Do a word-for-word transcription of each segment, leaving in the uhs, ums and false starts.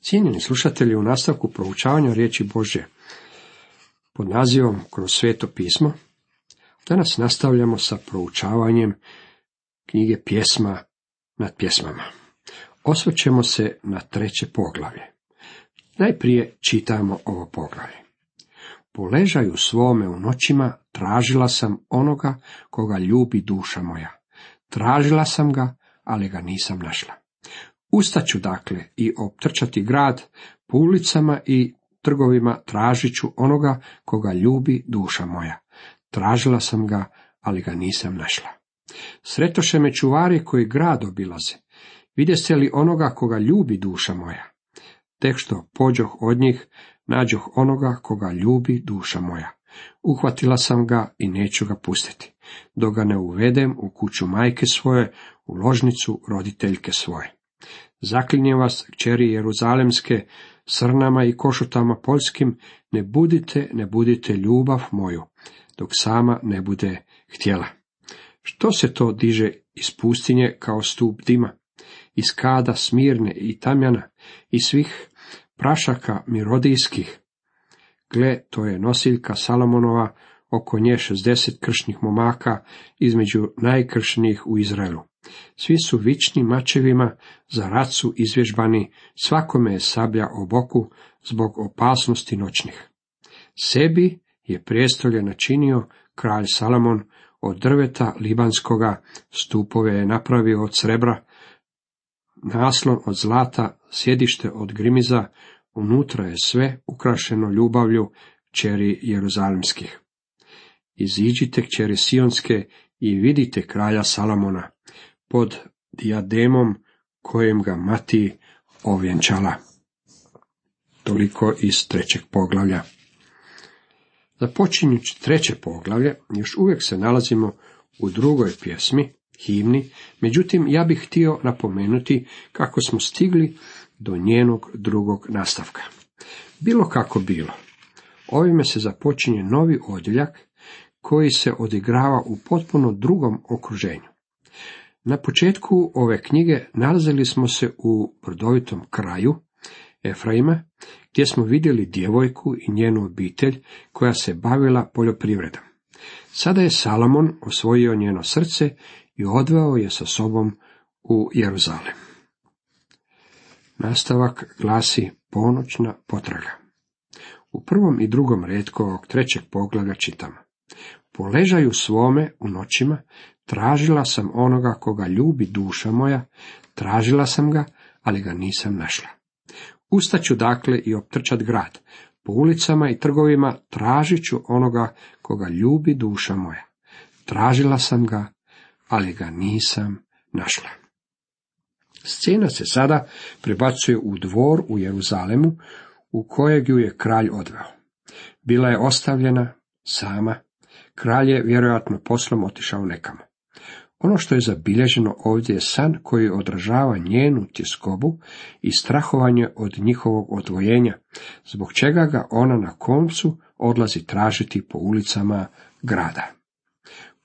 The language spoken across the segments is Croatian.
Cijenjeni slušatelji, u nastavku proučavanja riječi Božje pod nazivom Kroz sveto pismo, danas nastavljamo sa proučavanjem knjige Pjesma nad pjesmama. Osvrćemo se na treće poglavlje. Najprije čitamo ovo poglavlje. Po ležaju svome u noćima tražila sam onoga koga ljubi duša moja. Tražila sam ga, ali ga nisam našla. Ustaću dakle i optrčati grad, po ulicama i trgovima tražit ću onoga koga ljubi duša moja. Tražila sam ga, ali ga nisam našla. Sretoše me čuvari koji grad obilaze. Vidjeste li onoga koga ljubi duša moja? Tek što pođoh od njih, nađoh onoga koga ljubi duša moja. Uhvatila sam ga i neću ga pustiti, dok ga ne uvedem u kuću majke svoje, u ložnicu roditeljke svoje. Zaklinjem vas, kćeri jeruzalemske, srnama i košutama poljskim, ne budite, ne budite ljubav moju, dok sama ne bude htjela. Što se to diže iz pustinje kao stup dima, iz kada Smirne i Tamjana, i svih prašaka mirodijskih? Gle, to je nosiljka Salomonova, oko nje šezdeset kršnih momaka, između najkršnijih u Izraelu. Svi su vični mačevima, za rat su izvježbani, svakome je sablja o boku, zbog opasnosti noćnih. Sebi je prijestolje načinio kralj Salomon, od drveta libanskoga, stupove je napravio od srebra, naslon od zlata, sjedište od grimiza, unutra je sve ukrašeno ljubavlju kćeri jeruzalemskih. Iziđite, kćeri sionske, i vidite kralja Salomona, pod dijademom kojem ga mati ovjenčala. Toliko iz trećeg poglavlja. Započinjući treće poglavlje, još uvijek se nalazimo u drugoj pjesmi, himni, međutim ja bih htio napomenuti kako smo stigli do njenog drugog nastavka. Bilo kako bilo, ovime se započinje novi odjeljak koji se odigrava u potpuno drugom okruženju. Na početku ove knjige nalazili smo se u brdovitom kraju Efraima, gdje smo vidjeli djevojku i njenu obitelj koja se bavila poljoprivredom. Sada je Salomon osvojio njeno srce i odveo je sa sobom u Jeruzalem. Nastavak glasi ponoćna potraga. U prvom i drugom retku ovog trećeg poglavlja čitamo: po ležaju svome u noćima tražila sam onoga koga ljubi duša moja, tražila sam ga, ali ga nisam našla. Ustaću dakle i optrčat grad, po ulicama i trgovima tražit ću onoga koga ljubi duša moja. Tražila sam ga, ali ga nisam našla. Scena se sada prebacuje u dvor u Jeruzalemu, u kojeg ju je kralj odveo. Bila je ostavljena sama, kralj je vjerojatno poslom otišao nekamo. Ono što je zabilježeno ovdje je san koji odražava njenu tjeskobu i strahovanje od njihovog odvojenja, zbog čega ga ona na koncu odlazi tražiti po ulicama grada.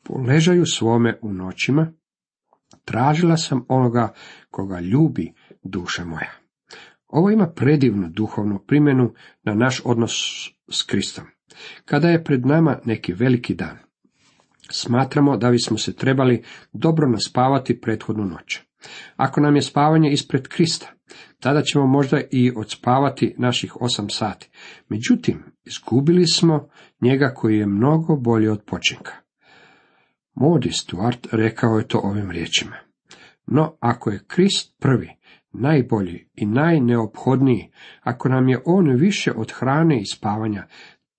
Po ležaju svome u noćima tražila sam onoga koga ljubi duša moja. Ovo ima predivnu duhovnu primjenu na naš odnos s Kristom. Kada je pred nama neki veliki dan, smatramo da bismo se trebali dobro naspavati prethodnu noć. Ako nam je spavanje ispred Krista, tada ćemo možda i odspavati naših osam sati. Međutim, izgubili smo njega koji je mnogo bolji od počinka. Moody Stuart rekao je to ovim riječima: no, ako je Krist prvi, najbolji i najneophodniji, ako nam je on više od hrane i spavanja,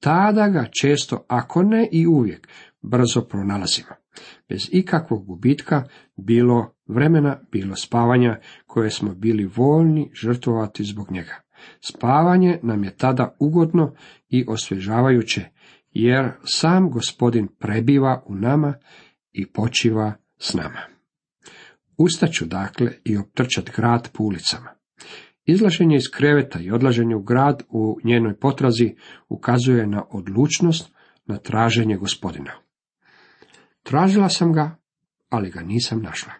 tada ga često, ako ne i uvijek, brzo pronalazimo. Bez ikakvog gubitka, bilo vremena, bilo spavanja, koje smo bili voljni žrtvovati zbog njega. Spavanje nam je tada ugodno i osvježavajuće, jer sam Gospodin prebiva u nama i počiva s nama. Ustaću dakle i optrčat grad po ulicama. Izlaženje iz kreveta i odlaženje u grad u njenoj potrazi ukazuje na odlučnost, na traženje Gospodina. Tražila sam ga, ali ga nisam našla.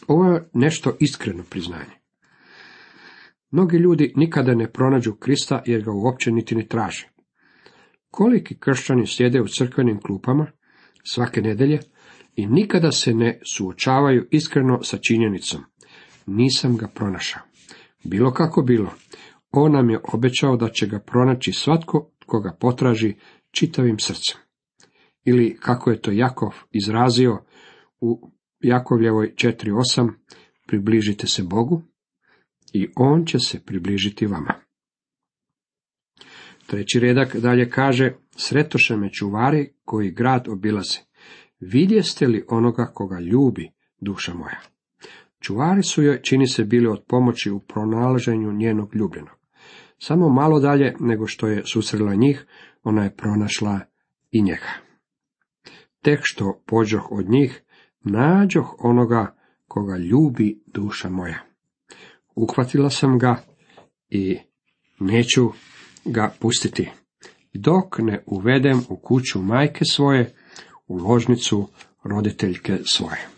Ovo je nešto iskreno priznanje. Mnogi ljudi nikada ne pronađu Krista jer ga uopće niti ne traže. Koliki kršćani sjede u crkvenim klupama svake nedjelje i nikada se ne suočavaju iskreno sa činjenicom: nisam ga pronašao. Bilo kako bilo, on nam je obećao da će ga pronaći svatko tko ga potraži čitavim srcem. Ili, kako je to Jakov izrazio u Jakovljevoj četiri osam, približite se Bogu i on će se približiti vama. Treći redak dalje kaže: sretoše me čuvari koji grad obilaze. Vidjeste li onoga koga ljubi duša moja? Čuvari su joj, čini se, bili od pomoći u pronalaženju njenog ljubljenog. Samo malo dalje nego što je susrela njih, ona je pronašla i njega. Tek što pođoh od njih, nađoh onoga koga ljubi duša moja. Uhvatila sam ga i neću ga pustiti, dok ne uvedem u kuću majke svoje, u ložnicu roditeljke svoje.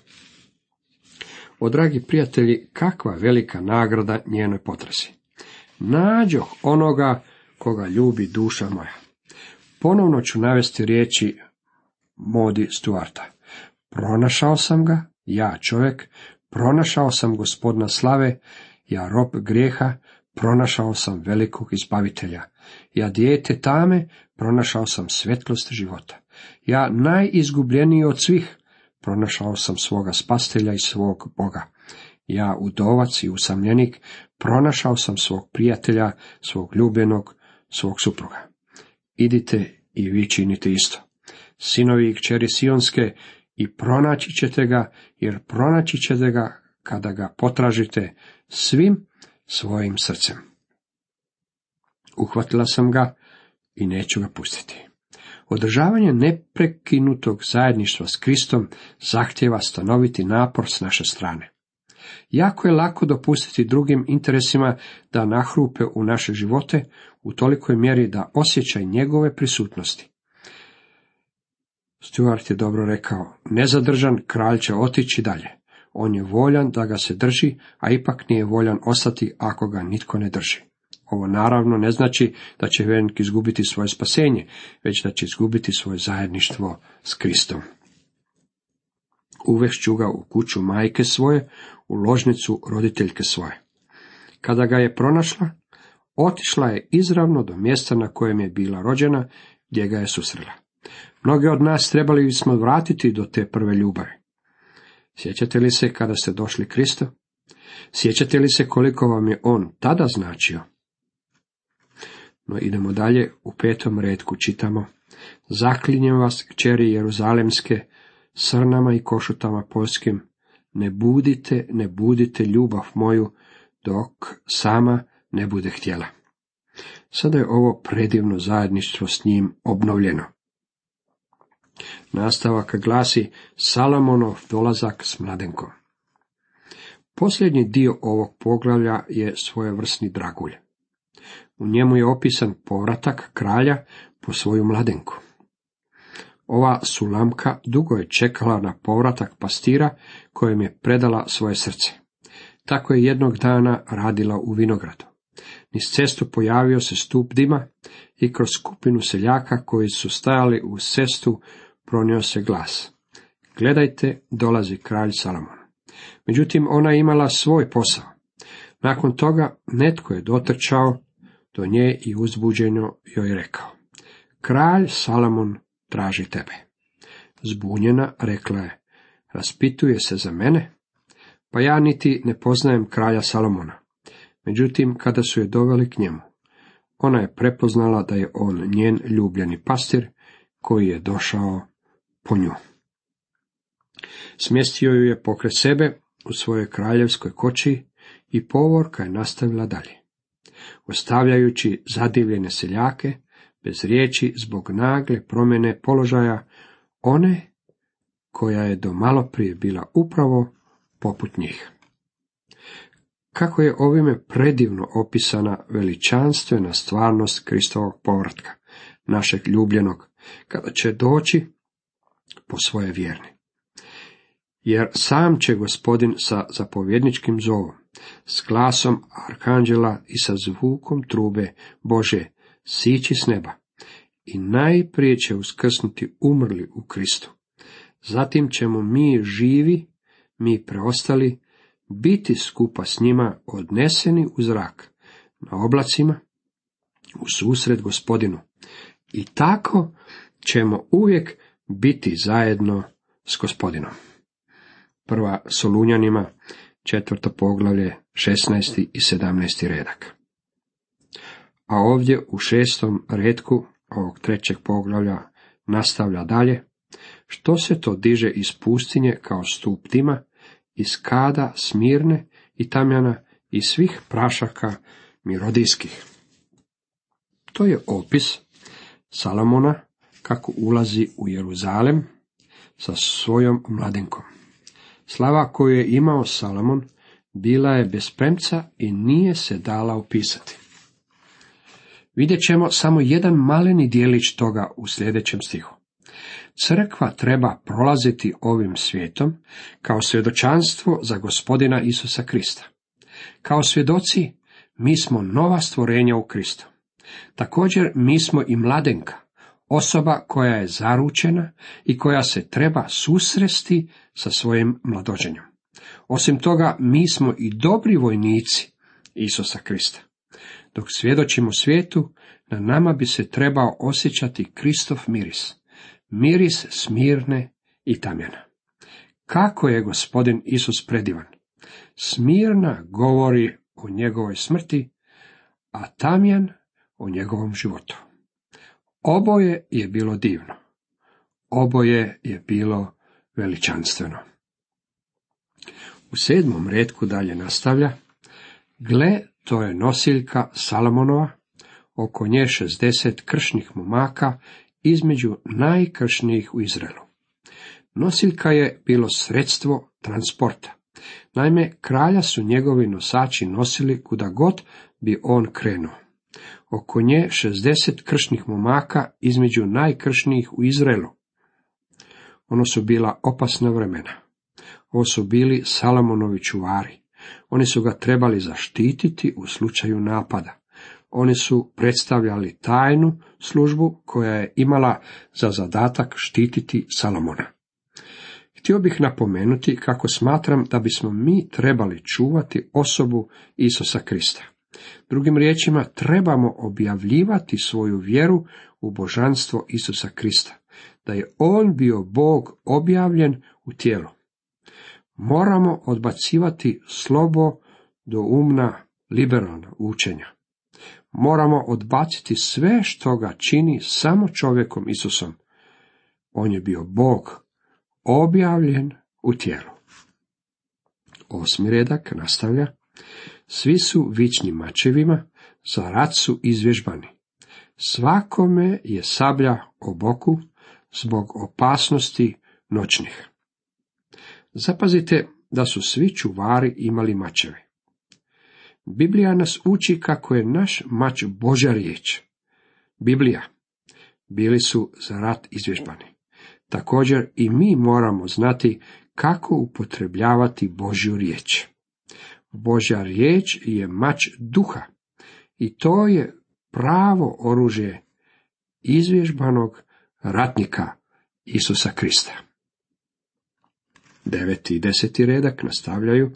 O, dragi prijatelji, kakva velika nagrada njenoj potrazi. Nađoh onoga koga ljubi duša moja. Ponovno ću navesti riječi Modi Stuarta. Pronašao sam ga, ja čovjek, pronašao sam Gospodina slave, ja rob grijeha, pronašao sam velikog izbavitelja. Ja dijete tame, pronašao sam svjetlost života. Ja najizgubljeniji od svih, pronašao sam svoga spastelja i svog Boga. Ja udovac i usamljenik, pronašao sam svog prijatelja, svog ljubljenog, svog supruga. Idite i vi činite isto. Sinovi i kćeri Sionske, i pronaći ćete ga, jer pronaći ćete ga kada ga potražite svim svojim srcem. Uhvatila sam ga i neću ga pustiti. Održavanje neprekinutog zajedništva s Kristom zahtjeva stanoviti napor s naše strane. Jako je lako dopustiti drugim interesima da nahrupe u naše živote u tolikoj mjeri da osjećaj njegove prisutnosti. Stuart je dobro rekao: nezadržan kralj će otići dalje. On je voljan da ga se drži, a ipak nije voljan ostati ako ga nitko ne drži. Ovo naravno ne znači da će vjernik izgubiti svoje spasenje, već da će izgubiti svoje zajedništvo s Kristom. Uvešću ga u kuću majke svoje, u ložnicu roditeljke svoje. Kada ga je pronašla, otišla je izravno do mjesta na kojem je bila rođena, gdje ga je susrela. Mnogi od nas trebali bismo vratiti do te prve ljubavi. Sjećate li se kada ste došli Kristu? Sjećate li se koliko vam je on tada značio? No idemo dalje, u petom retku čitamo: zaklinjem vas, kćeri Jeruzalemske, srnama i košutama poljskim, ne budite, ne budite ljubav moju, dok sama ne bude htjela. Sada je ovo predivno zajedništvo s njim obnovljeno. Nastavak glasi: Salomonov dolazak s mladenkom. Posljednji dio ovog poglavlja je svojevrsni dragulj. U njemu je opisan povratak kralja po svoju mladenku. Ova Sulamka dugo je čekala na povratak pastira kojem je predala svoje srce. Tako je jednog dana radila u vinogradu. Niz cestu pojavio se stup dima i kroz skupinu seljaka koji su stajali uz cestu pronio se glas: gledajte, dolazi kralj Salomon. Međutim, ona je imala svoj posao. Nakon toga netko je dotrčao do nje i uzbuđeno joj rekao: kralj Salomon traži tebe. Zbunjena rekla je: raspituje se za mene? Pa ja niti ne poznajem kralja Salomona. Međutim, kada su je doveli k njemu, ona je prepoznala da je on njen ljubljeni pastir koji je došao po nju. Smjestio ju je pokraj sebe u svojoj kraljevskoj koči i povorka je nastavila dalje. Ostavljajući zadivljene seljake, bez riječi zbog nagle promjene položaja one koja je do malo prije bila upravo poput njih. Kako je ovime predivno opisana veličanstvena stvarnost Kristovog povratka, našeg ljubljenog, kada će doći po svoje vjerne. Jer sam će Gospodin sa zapovjedničkim zovom s glasom arhanđela i sa zvukom trube Bože sići s neba. I najprije će uskrsnuti umrli u Kristu. Zatim ćemo mi živi, mi preostali, biti skupa s njima odneseni u zrak, na oblacima, u susret Gospodinu. I tako ćemo uvijek biti zajedno s Gospodinom. Prva Solunjanima, četvrto poglavlje, šesnaesti i sedamnaesti redak. A ovdje u šestom retku ovog trećeg poglavlja nastavlja dalje: što se to diže iz pustinje kao stup tima, iz kada Smirne i Tamjana i svih prašaka mirodijskih. To je opis Salomona kako ulazi u Jeruzalem sa svojom mladenkom. Slava koju je imao Salomon bila je bez premca i nije se dala opisati. Vidjet ćemo samo jedan maleni dijelić toga u sljedećem stihu. Crkva treba prolaziti ovim svijetom kao svjedočanstvo za Gospodina Isusa Krista. Kao svjedoci mi smo nova stvorenja u Kristu. Također mi smo i mladenka, osoba koja je zaručena i koja se treba susresti sa svojim mladoženjem. Osim toga, mi smo i dobri vojnici Isusa Krista. Dok svjedočimo svijetu, na nama bi se trebao osjećati Kristov miris, miris Smirne i Tamjana. Kako je Gospodin Isus predivan! Smirna govori o njegovoj smrti, a Tamjan o njegovom životu. Oboje je bilo divno. Oboje je bilo veličanstveno. U sedmom retku dalje nastavlja: gle, to je nosiljka Salomonova, oko nje šezdeset kršnih momaka, između najkršnijih u Izraelu. Nosiljka je bilo sredstvo transporta. Naime, kralja su njegovi nosači nosili kuda god bi on krenuo. Oko nje šezdeset kršnih momaka, između najkršnijih u Izraelu. Ono su bila opasna vremena. Ovo su bili Salomonovi čuvari. Oni su ga trebali zaštititi u slučaju napada. Oni su predstavljali tajnu službu koja je imala za zadatak štititi Salomona. Htio bih napomenuti kako smatram da bismo mi trebali čuvati osobu Isusa Krista. Drugim riječima, trebamo objavljivati svoju vjeru u božanstvo Isusa Krista, da je on bio Bog objavljen u tijelu. Moramo odbacivati slobo do umna liberalna učenja. Moramo odbaciti sve što ga čini samo čovjekom Isusom. On je bio Bog objavljen u tijelu. Osmi redak nastavlja: svi su vični mačevima, za rat su izvježbani. Svakome je sablja o boku zbog opasnosti noćnih. Zapazite da su svi čuvari imali mačeve. Biblija nas uči kako je naš mač Božja riječ. Biblija. Bili su za rat izvježbani. Također i mi moramo znati kako upotrebljavati Božju riječ. Božja riječ je mač duha i to je pravo oružje izvježbanog ratnika Isusa Krista. Deveti i deseti redak nastavljaju: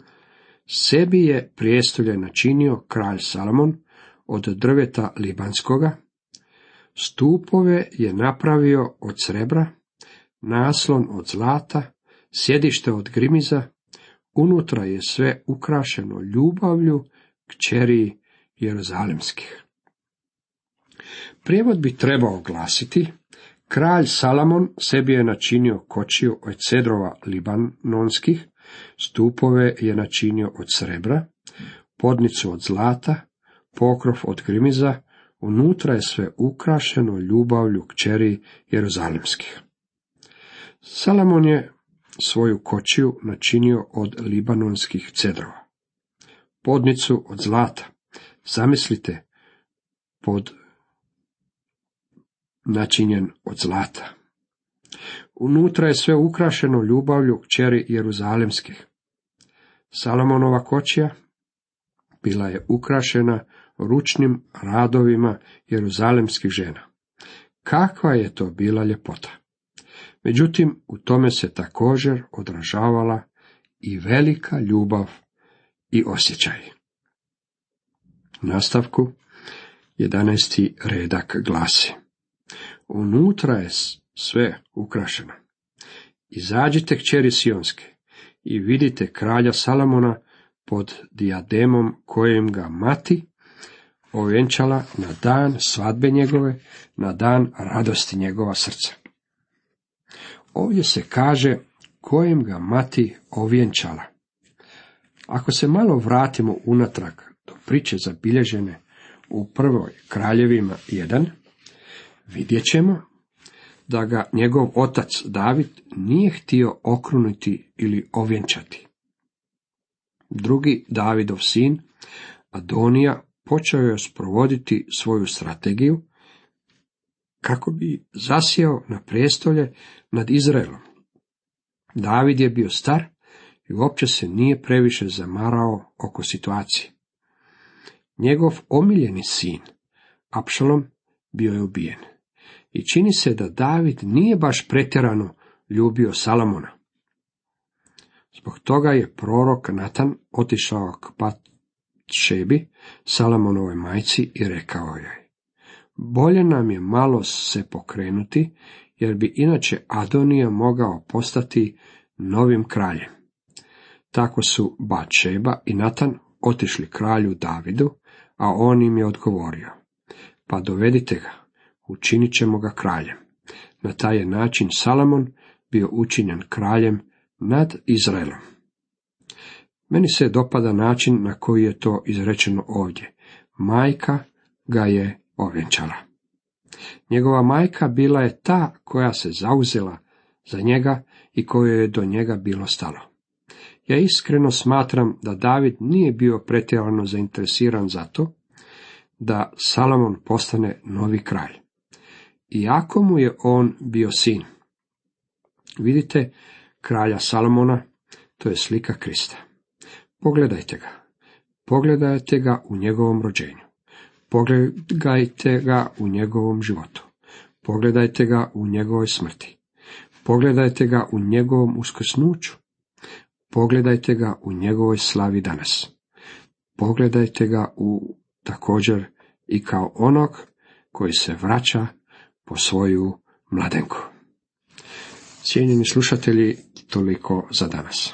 sebi je prijestolje načinio kralj Salomon od drveta libanskoga, stupove je napravio od srebra, naslon od zlata, sjedište od grimiza, unutra je sve ukrašeno ljubavlju kćeri jeruzalemskih. Prijevod bi trebao glasiti: kralj Salomon sebi je načinio kočiju od cedrova libanonskih, stupove je načinio od srebra, podnicu od zlata, pokrov od grimiza, unutra je sve ukrašeno ljubavlju kćeri jeruzalemskih. Salomon je svoju kočiju načinio od libanonskih cedrova. Podnicu od zlata. Zamislite, pod načinjen od zlata. Unutra je sve ukrašeno ljubavlju kćeri jeruzalemskih. Salomonova kočija bila je ukrašena ručnim radovima jeruzalemskih žena. Kakva je to bila ljepota! Međutim, u tome se također odražavala i velika ljubav i osjećaj. U nastavku jedanaesti redak glasi: unutra je sve ukrašeno. Izađite, kćeri Sionske, i vidite kralja Salomona pod dijademom kojem ga mati ovjenčala na dan svadbe njegove, na dan radosti njegova srca. Ovdje se kaže kojem ga mati ovjenčala. Ako se malo vratimo unatrag do priče zabilježene u prvoj Kraljevima jedan, vidjet ćemo da ga njegov otac David nije htio okruniti ili ovjenčati. Drugi Davidov sin, Adonija, počeo je sprovoditi svoju strategiju kako bi zasjeo na prijestolje nad Izraelom. David je bio star i uopće se nije previše zamarao oko situacije. Njegov omiljeni sin, Apšalom, bio je ubijen. I čini se da David nije baš pretjerano ljubio Salomona. Zbog toga je prorok Natan otišao k Batšebi, Salomonovoj majci, i rekao joj: bolje nam je malo se pokrenuti, jer bi inače Adonija mogao postati novim kraljem. Tako su Batšeba i Natan otišli kralju Davidu, a on im je odgovorio: pa dovedite ga, učinit ćemo ga kraljem. Na taj je način Salomon bio učinjen kraljem nad Izraelom. Meni se dopada način na koji je to izrečeno ovdje. Majka ga je ovjenčala. Njegova majka bila je ta koja se zauzela za njega i kojoj je do njega bilo stalo. Ja iskreno smatram da David nije bio pretjerano zainteresiran za to da Salomon postane novi kralj, iako mu je on bio sin. Vidite kralja Salomona, to je slika Krista. Pogledajte ga. Pogledajte ga u njegovom rođenju. Pogledajte ga u njegovom životu. Pogledajte ga u njegovoj smrti. Pogledajte ga u njegovom uskrsnuću. Pogledajte ga u njegovoj slavi danas. Pogledajte ga u također i kao onog koji se vraća po svoju mladenku. Cijenjeni slušatelji, toliko za danas.